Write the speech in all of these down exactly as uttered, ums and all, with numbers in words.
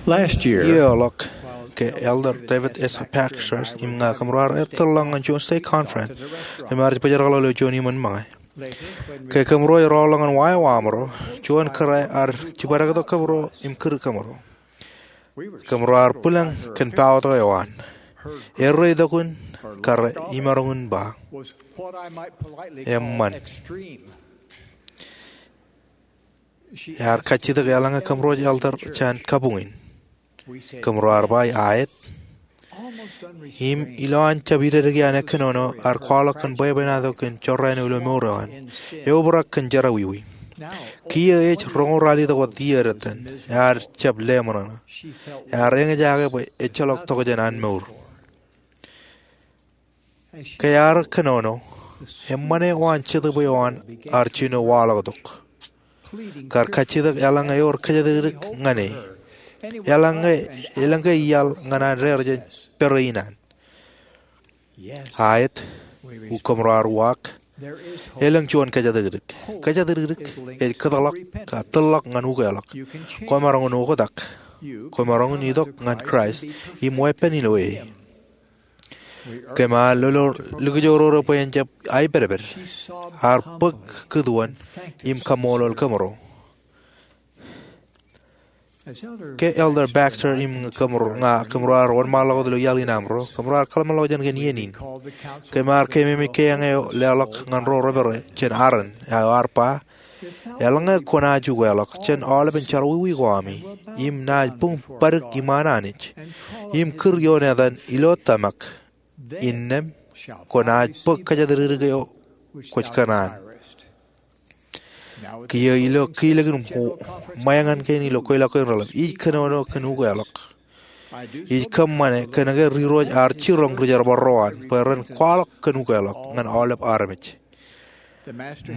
Last year, Iiō ḷọk, ke Elder David S. Baxter im ña kōmro ar ettōrḷọk ñan juon stake conference, kōm ar bōjrak ḷọk ilo juon iṃōn ṃōñā. Ke kōmro rọọlḷọk ñan wāween eo aṃro, juon kōrā ear jibadektok kōmro im kūr kōmro. Kōmro ar bwilōñ kōn paotok eo an. Erreo itok in kar imaroñ in ba, eṃṃan. Ear kajjitōk eḷaññe kōmro ej elder jān kabuñ in. Kōmro ar ba, aet. Im ilowaan jab idediki an ekkōnono, ar kwaḷọk kōn bwebwenato kōn jorrāān eo ilo mour eo an, eobrak kōn jerọwiwi. Kiiō ej roñoul ralitōk wōt iiō dettan, ear jab leṃōṇōṇō. Ear eñjake bwe ejjeḷọk tokjān an mour. Ke ear kōnono, eṃṃan eo an Jetōb eo an ar jino waḷọktok. Kar kajjitōk eḷaññe ewōr kōjatdikdik ñan e. Eḷaññe, elōñ ke iaḷ ñan an raar jān pere in an. Aet, kōmro ar uwaak. Elōñ juon kōjatdikdik. Kōjatdikdik ej kōtḷọk, kōtḷọk ñan ukeḷọk. Kwōmaroñ in oktak. Kwōmaroñ in itok ñan Kraist im weeppān ilo e. Kōm ar lolo likjororo bwe en jab aipedped. Ar bōk kūtuon im kaṃṃoolol kōmro. Ke Elder Baxter im kōmro, ña kōmro ar wōnṃaanḷọk wōt ilo iaḷ in aṃro, kōmro ar kōḷmānḷọkjeṇ kōn iien in. Kōm ar keememej kōjeañ eo leḷọk ñan ro rej pere jān Aaron, eo ar ba, eḷaññe kwōnaaj ukeḷọk jān aolepen jerọwiwi ko ami, im naaj buñ badik iṃaan Anij, im kūr ioon etan ilo tōmak, innām kwōnaaj bōk kōjatdikdik eo kwōj kōṇaan. Kiiō ilo kilōk in ṃōñā kein ilo kweilọk kein reḷap, ij kōnono kōn ukeḷọk. Ij kōṃṃane kōnke ri-irooj ar jiroñ ri-jerbal ro an bwe ren kwaḷọk kōn ukeḷọk ñan aolep armej.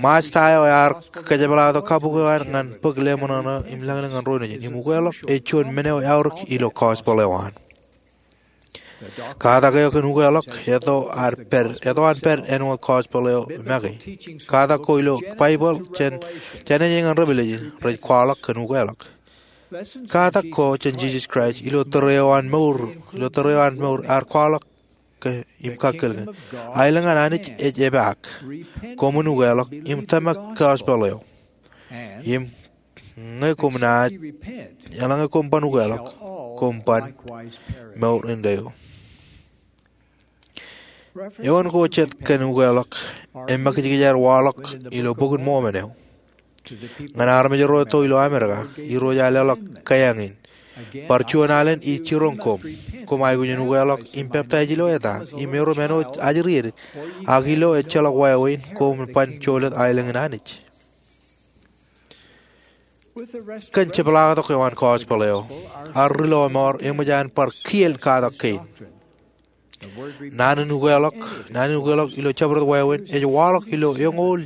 Masta eo ear kōjepḷaaktok kabuñ eo an ñan bōk leṃōṇōṇō im lañlōñ ñan ro nejin, im ukeḷọk ej juon men eo eaorōk ilo gospel eo an. Katak eo kōn ukeḷọk eto an pād, eto an pād āinwōt gospel eo make. Katak ko ilo Baibōḷ jān, jān ej ñan revelation rej kwaḷọk kōn ukeḷọk. Katak ko jān Jisōs Kraist ilo tōre eo an mour, ilo tōre eo an mour ear kwaḷọk ke im kakkōl ke, aelōñ an Anij ej epaak. Koṃwin ukeḷọk im tōmak gospel eo. Im ñe koṃ naaj, eḷaññe koṃ ban ukeḷọk, koṃ ban mour indeeo. Eoon ko jet kōn ukeḷọk, eṃōkajkōj aer waḷọk ilo Bok in Mormon eo. Ñan armej ro etto ilo Amerika, Irooj ear leḷọk kōjeañ in. Bar juon alen ij jiroñ koṃ. Koṃ aikuj in ukeḷọk im peptaij ilo eta, im erom āinwōt ajri ed, ak ilo ejjeḷọk wāween, koṃ ban jolōt aelōñ in Anij. Kōn jepḷaaktok eo an gospel eo, ar ri-lọmọọr eṃōj an bar kiel katak kein. Naan in ukeḷọk, naan in ukeḷọk ilo jabdewōt wāween, ej waḷọk ilo eñoul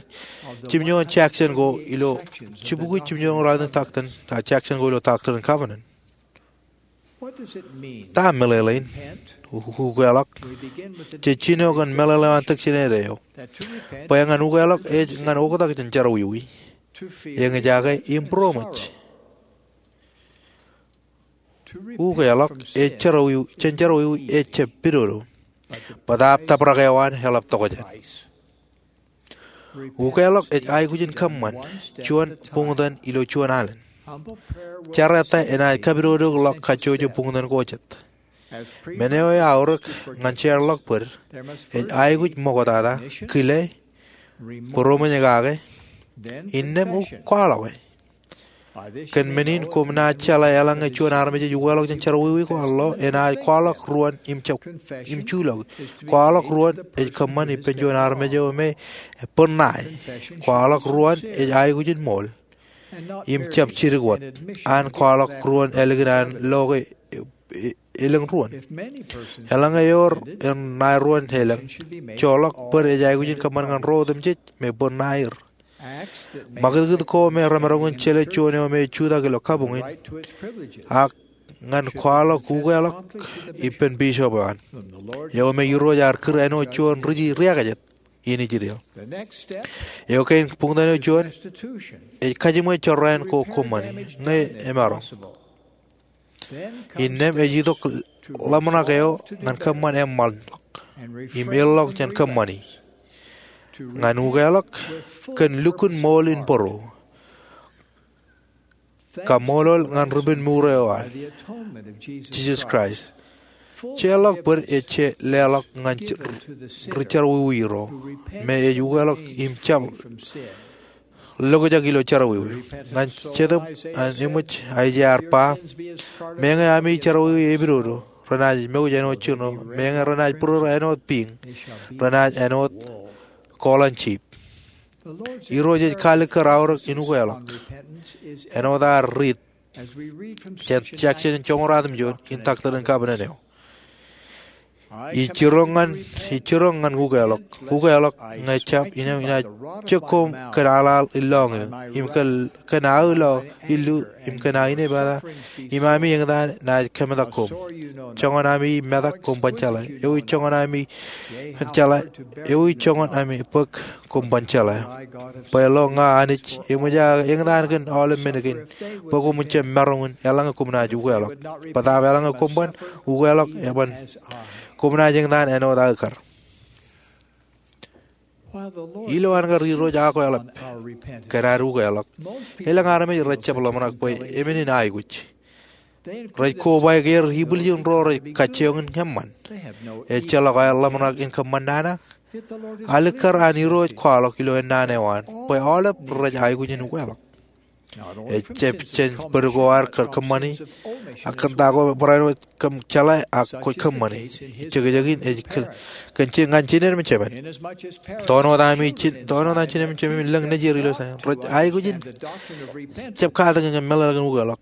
jimjuon section ko ilo, jibukwi jimjuon ralitōk in doctrine, a, section ko ilo Doctrine and Covenant. Ta meḷeḷein, u-, ukeḷọk? Jej jino kōn meḷeḷe eo an tōk jined eo. Bwe ñan ukeḷọk ej ñan oktak jān jerọwiwi. Eñjake im būroṃōj. Ukeḷọk ej jerọwiwi, jān jerọwiwi ej jab pidodo. Bōtab tabrak eo an eḷap tokjān. Ukeḷọk ej aikuj in kōṃṃan, juon buñtōn ilo juon alen. Jar eta enaaj kapidodok ḷọk kajjojo buñtōn ko jet. Men eo eaorōk ñan jeorḷọk bōd, ej aikuj ṃoktata, kile, būroṃōj kake, innām kwaḷọke. Kōn men in koṃ naaj jeḷā eḷaññe juon armej ej ukeḷọk jān jerọwiwi ko an lo, enaaj kwaḷọk ruon im jab, im juḷọk. Kwaḷọk ruon ej kōṃṃan ippān juon armej eo me bōd ṇae. Kwaḷọk ruon ej aikuj in ṃool. Im jab jidik wōt, an kwaḷọk ruon ālikin an lo ke, e, e, elōñ ruon. Eḷaññe ewōr ṇae ruon elōñ, joḷọk bōd ej aikuj in kōṃṃan ñan ro otemjej me bōd ṇae er. Ṃakūtkūt ko me remaroñ in jelōt juon eo me jutak ilo kabuñ in, ak ñan kwaḷọk ukeḷọk ippān bishop eo an. Eo me Irooj ear kūr āinwōt juon ri-, riakajet in Israel. Eo kein buñtōn eo juon, ej kajiṃwe jorrāān ko koṃṃani, ñe emaroñ. Innām ej itok ḷōmṇak eo ñan kōṃṃan eṃṃanḷọk im erḷọk jān kōṃṃani. Ñan ukeḷọk kōn lukkuun ṃool in bōro. Kaṃṃoolol ñan ripenmuur eo an Jisōs Kraist. Jeorḷọk bōd ej je leḷọk ñan ri jerọwiwi ro me ej ukeḷọk im jab lokjak ilo jerọwiwi. Ñan Jetōb an Eṃōj, Aiseia ear ba, meñe ami jerọwiwi epidodo, renaaj mouj āinwōt jino, meñe renaaj būrōrō āinwōt piiñ, renaaj āinwōt koḷan jip. Irooj ej kaalikkar aorōk in ukeḷọk āinwōt ad riit jān Jakson joñoul ratimjuon in Doctrine and Covenants eo. Ij jiroñ ñan, ij jiroñ ñan ukeḷọk. Ukeḷọk ñe jab innām inaaj jek koṃ kōn aḷaḷ ilọñiō, im kōn, kōn aō lo illu, im kōn aō inepata, im ami eñtaan naaj kōmetak koṃ. Joñan ami metak koṃ ban jeḷā. Ewi joñan ami jeḷā, ewi joñan ami bōk koṃ ban jeḷā. Bwe lo ña Anij eṃōj aō eñtaan kōn aolep men kein, bwe koṃwin jab maroñ in eḷaññe koṃ naaj ukeḷọk. Bōtaab eḷaññe koṃ ban ukeḷọk eban koṃ naaj eñtaan āinwōt aō kar. Ilo an kar Irooj akwāḷap kōn ad ukeḷọk, elōñ armej rej jab ḷōmṇak bwe emenin aikuj. Rej kobaik er ibwiljin ro rej kajjioñ in eṃṃan. Ejjeḷọk aer ḷōmṇak in kōṃṃan nana. Alikkar an Irooj kwaḷọk ilo ennaan eo an bwe aolep rej aikuj in ukeḷọk. Ejjab jān bōd ko ad kōṃṃani, ak kōn ta ko barāinwōt kōm jeḷā ak kwōj kōṃṃani. Jekjekin ej kōn, kōn je ñan jined im jemān. Tōn wōt ami jin, tōn wōt an jined im jemān im lōñ nejier ilo Zaion rej aikuj in jab katakin kōn meḷeḷe kōn ukeḷọk.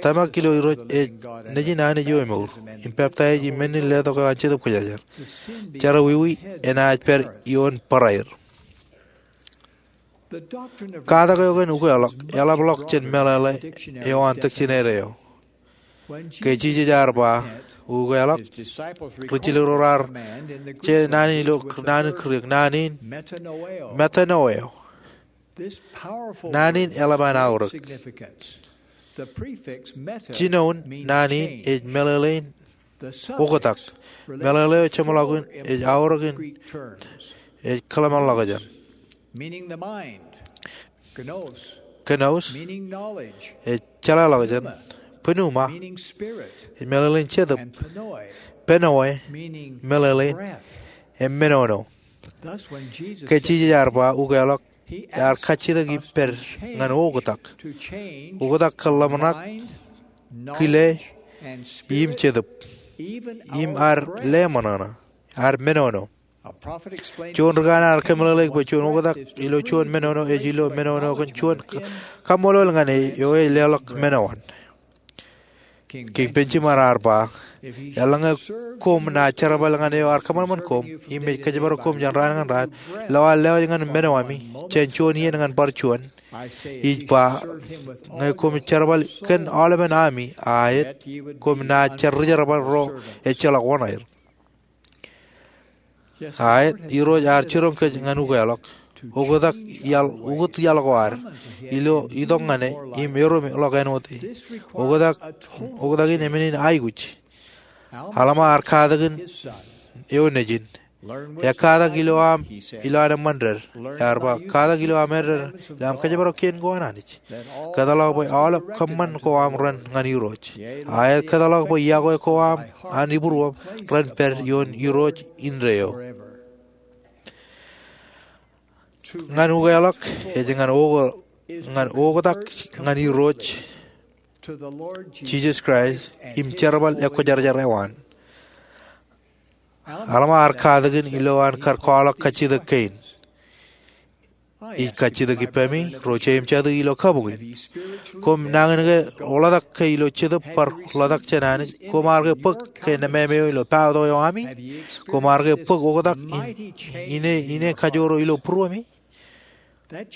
Tōmak ilo Irooj ej nejin Anij eo emour im peptaij im men in letok eo an Jetōb Kwōjarjar. Jerọwiwi enaaj pād ioon bōraer. Katak eo kōn ukeḷọk eḷapḷọk jān meḷeḷe eo an dictionary eo. Ke Jisōs ear ba ukeḷọk, ri jilkinḷọk ro raar je naan in ilo naan in Greek, naan in metanoeo. Naan in eḷap an aorōk. Jinoin naan in ej meḷeḷein oktak. Meḷeḷe eo jeṃḷọkin ej aorōk in ej kōḷmānḷọkjeṇ. Knos ej jeḷāḷọkjeṇ. Pneuma ej meḷeḷein jetōb. Pneue meḷeḷein emenono. Ke Jisōs ear ba ukeḷọk, ear kajjitōk ippād ñan oktak. Oktak kōn ḷōmṇak, kile, im jetōb, im ad leṃōṇōṇō, ad menono. Juon ri kanaan ear kōmeḷeḷeik bwe juon oktak ilo juon menono ej ilo menono kōn juon ka-, kaṃṃoolol ñan e eo ej leḷọk menoan. Kiiñ Benjamin ear ba, eḷaññe koṃ naaj jerbal ñan eo ear kōṃanṃan koṃ im ej kōjparok koṃ jān raan ñan raan, ilo aō lewōj ñan menoami jān juon iien ñan bar juon, ij ba, ñe koṃ jerbal kōn aolepen ami aet, koṃ naaj jar rijerbal ro ejjeḷọk oṇāer. Aet, Irooj ear jiroñ kōj ñan ukeḷọk. Oktak iaḷ, ukōt iaḷ ko ad ilo itok ñan e im erom ḷọk āinwōt e. Oktak, oktak in emenin aikuj. Alma ear katakin eo nejin. Ekatak ilo aṃ, ilo an eṃṃan ded. Ear ba, katak ilo aṃ eded, ilo aṃ kōjparok kien ko an Anij. Kōtḷọk bwe aolep kōṃṃan ko aṃ ren ñan Irooj. Aet, kōtḷọk bwe iọkwe ko aṃ an ibūruōṃ ren pād ioon Irooj indeeo. Ñan ukeḷọk ej ñan o-, ñan oktak ñan Irooj Jisōs Kraist im jerbal ekwōjarjar eo an. Alma ear katakin ilo an kar kwaḷọk kajjitōk kein. Ij kajjitōk ippaṃi, ro jeiū im jatū ilo kabuñ in. Koṃ nañinmej ke ḷotak ke ilo jetōb bar ḷotak jān Anij? Koṃ ar ke bōk ke nemāmeeo ilo pād eo ami? Koṃ ar ke bōk oktak in, ine, ine kajoor eo ilo būruemi?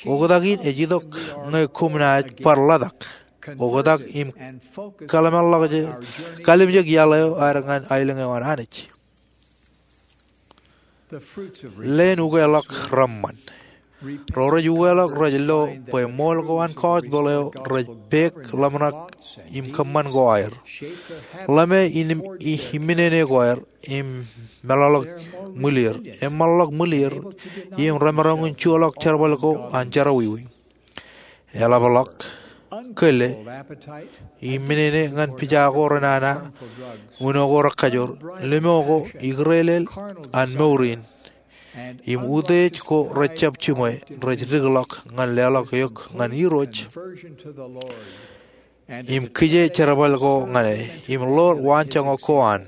Oktak in ej itok ñe koṃ naaj bar ḷotak. Oktak im kōḷmānḷọkjeṇ, kalimjek iaḷ eo ad ñan aelōñ eo an Anij. Leen ukeḷọk reṃṃan. Ro rej ukeḷọk rej lo bwe ṃool ko an gospel eo rej pek ḷōmṇak im kōṃṃan ko aer. Ḷōme in, i, iminene ko aer im meḷọkḷọk ṃwilier. Eṃṃanḷọk ṃwilier im remaroñ in juḷọk jerbal ko an jerọwiwi. Eḷapḷọk, kōle, iminene ñan pija ko renana, uno ko rekajoor, limo ko ikūrelel an mour in, im utiej ko rejjab jiṃwe rej dikḷọk ñan leḷọk eok ñan Irooj im kije jerbal ko ñan e im ḷoor waanjoñak ko an.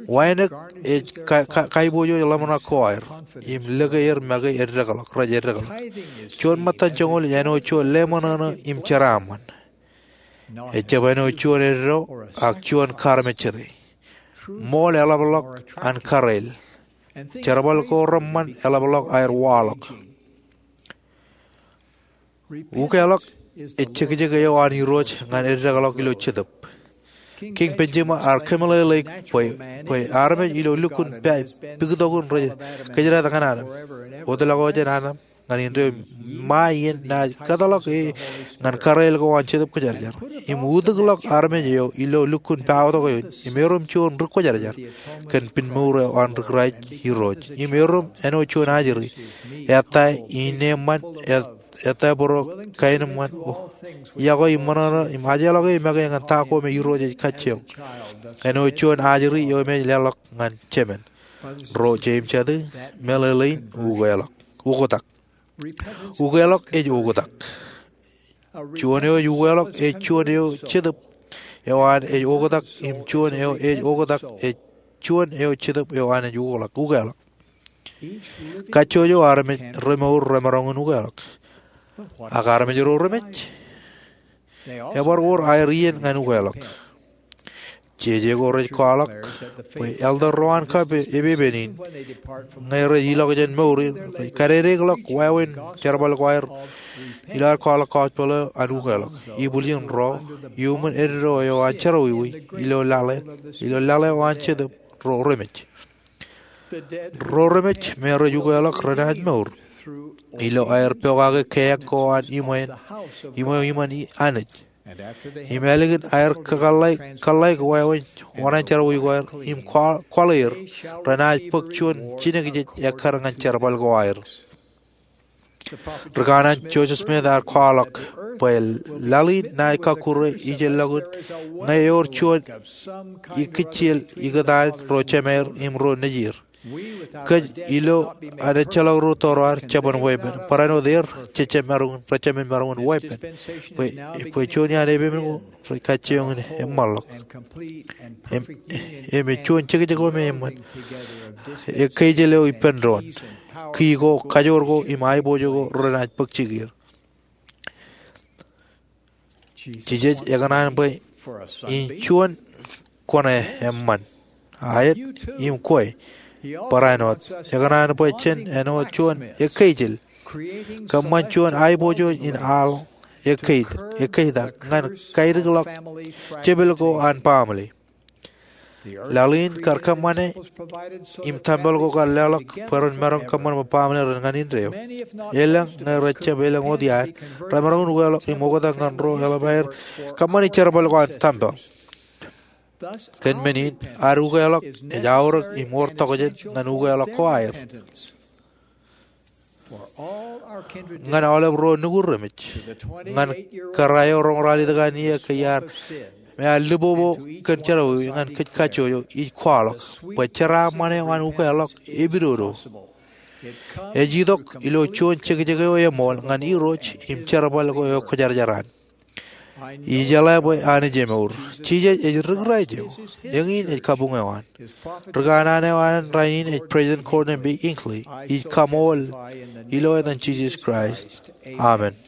Wānōk ej ka, ka, kaiboojoj ḷōmṇak ko aer im lōke er make eddekḷọk, rej eddekḷọk. Juon ṃōttan joñoul āinwōt juon leṃōṇōṇō im jeraaṃṃan. Ejjab āinwōt juon eddo ak juon karmejete. Ṃool eḷapḷọk an kōrāāl. Jerbal ko reṃṃan eḷapḷọk aer waḷọk. Ukeḷọk ej jekjek eo an Irooj ñan eddekḷọk ilo Jetōb. Kiiñ Benjamin ear kōmeḷeḷeik bwe, bwe armej ilo lukkuun pā, piktokun rej kōjdat ñan Adam. Wōtlọk eo jān Adam ñan indeeo ṃae iien naaj kōtḷọk e ñan kōrāāl ko an Jetōb Kwōjarjar. Im utukḷọk armej eo ilo lukkuun pāautok eoon im erom juon ri kwōjarjar kōn pinmour eo an ri Kraist Irooj. Im erom āinwōt juon ajri, ettā ineeṃṃan, et, ettā būruō kaenōṃṃan, o, yokwe im ṃōṇōṇō im ajjeḷọk e make ñan ta ko me Irooj ej kajjioñ. Āinwōt juon ajri eo emān leḷọk ñan jemān. Ro jeiū im jatū, meḷeḷein ukeḷọk. Oktak. Ukeḷọk ej oktak. Juon eo ej ukeḷọk ej juon eo Jetōb eo an ej oktak im juon eo ej oktak ej juon eo Jetōb eo an ej ukeḷọk. Ukeḷọk. Kajjojo armej remour remaroñ in ukeḷọk. Ak armej ro remej? Ebar wōr aer iien ñan ukeḷọk. Jeje ko rej kwaḷọk bwe elder ro an kab epepen in, ñe rej ilọk jān mour in, rej kadedeḷọk wāween jerbal ko aer ilo aer kwaḷọk gospel eo an ukeḷọk. Ibwiljin ro, iuṃwin eddo eo an jerọwiwi, ilo laḷe, ilo laḷe eo an Jetōb, ro remej. Ro remej me rej ukeḷọk renaaj mour ilo aer pokake keañ ko an iṃweo, iṃweo iṃaan Anij. Im ālikin aer kōḷḷāik, kōḷḷāik wāween oṇāān jerọwiwi ko aer im kwaḷ, kwaḷ er, renaaj bōk juon jinōkjeej ekkar ñan jerbal ko aer. Ri kanaan Joseph Smith ear kwaḷọk bwe laḷ in naaj kọkkure ijellọkun ñe ewōr juon ikijjel ikōtaan ro jemāer im ro nejier. Kōj ilo an ejjeḷọk ro tōre ad jeban weeppān. Barāinwōt er jejjab maroñ in, rejjab maroñ in weeppān. Bwe, bwe juon iaan epepen ko rej kajjioñ in eṃṃanḷọk. Im, im ej juon jekjek eo me eṃṃan. Ekkeijel eo ippān doon. Ki ko, kajoor ko, im aiboojoj ko renaaj bōk jikier. Jisōs ekōṇaan bwe in juon kwōn eṃṃan. Aet im kwe. Barāinwōt ekōṇaan bwe jen āinwōt juon ekkeijel. Kōṃṃan juon aiboojoj in aḷ ekkeitak, ekkeitak ñan kaidikḷọk jepel ko an baaṃle. Laḷ in kar kōṃṃane im tempel ko kar leḷọk bwe ren maroñ kōṃṃan bwe baaṃle ren ñan indeeo. Elōñ ñe rejjab elōñ wōt iaan remaroñ in ukeḷọk im oktak ñan ro eḷap aer kōṃṃani jerbal ko an tempel. Kōn men in ad ukeḷọk ej aorōk im wōr tokjān ñan ukeḷọk ko aer. Ñan aolep ro nukud remej, ñan kōrā eo roñoul ralitōk an iiō ke iar, me ear lipopo kōn jerọwiwi ñan kōj kajjojo, ij kwaḷọk bwe jeraaṃṃan eo an ukeḷọk epidodo. Ej itok ilo juon jekjek eo eṃool ñan Irooj im jerbal ko eo kwōjarjar an. Ijeḷā bwe Anij emour. Jisōs ej ri Kraist eo. Eñin ej kabuñ eo an. Ri kanaan eo an rainin ej President Gordon B. Hinckley. Ij kaṃool ilo etan Jisōs Kraist, amen.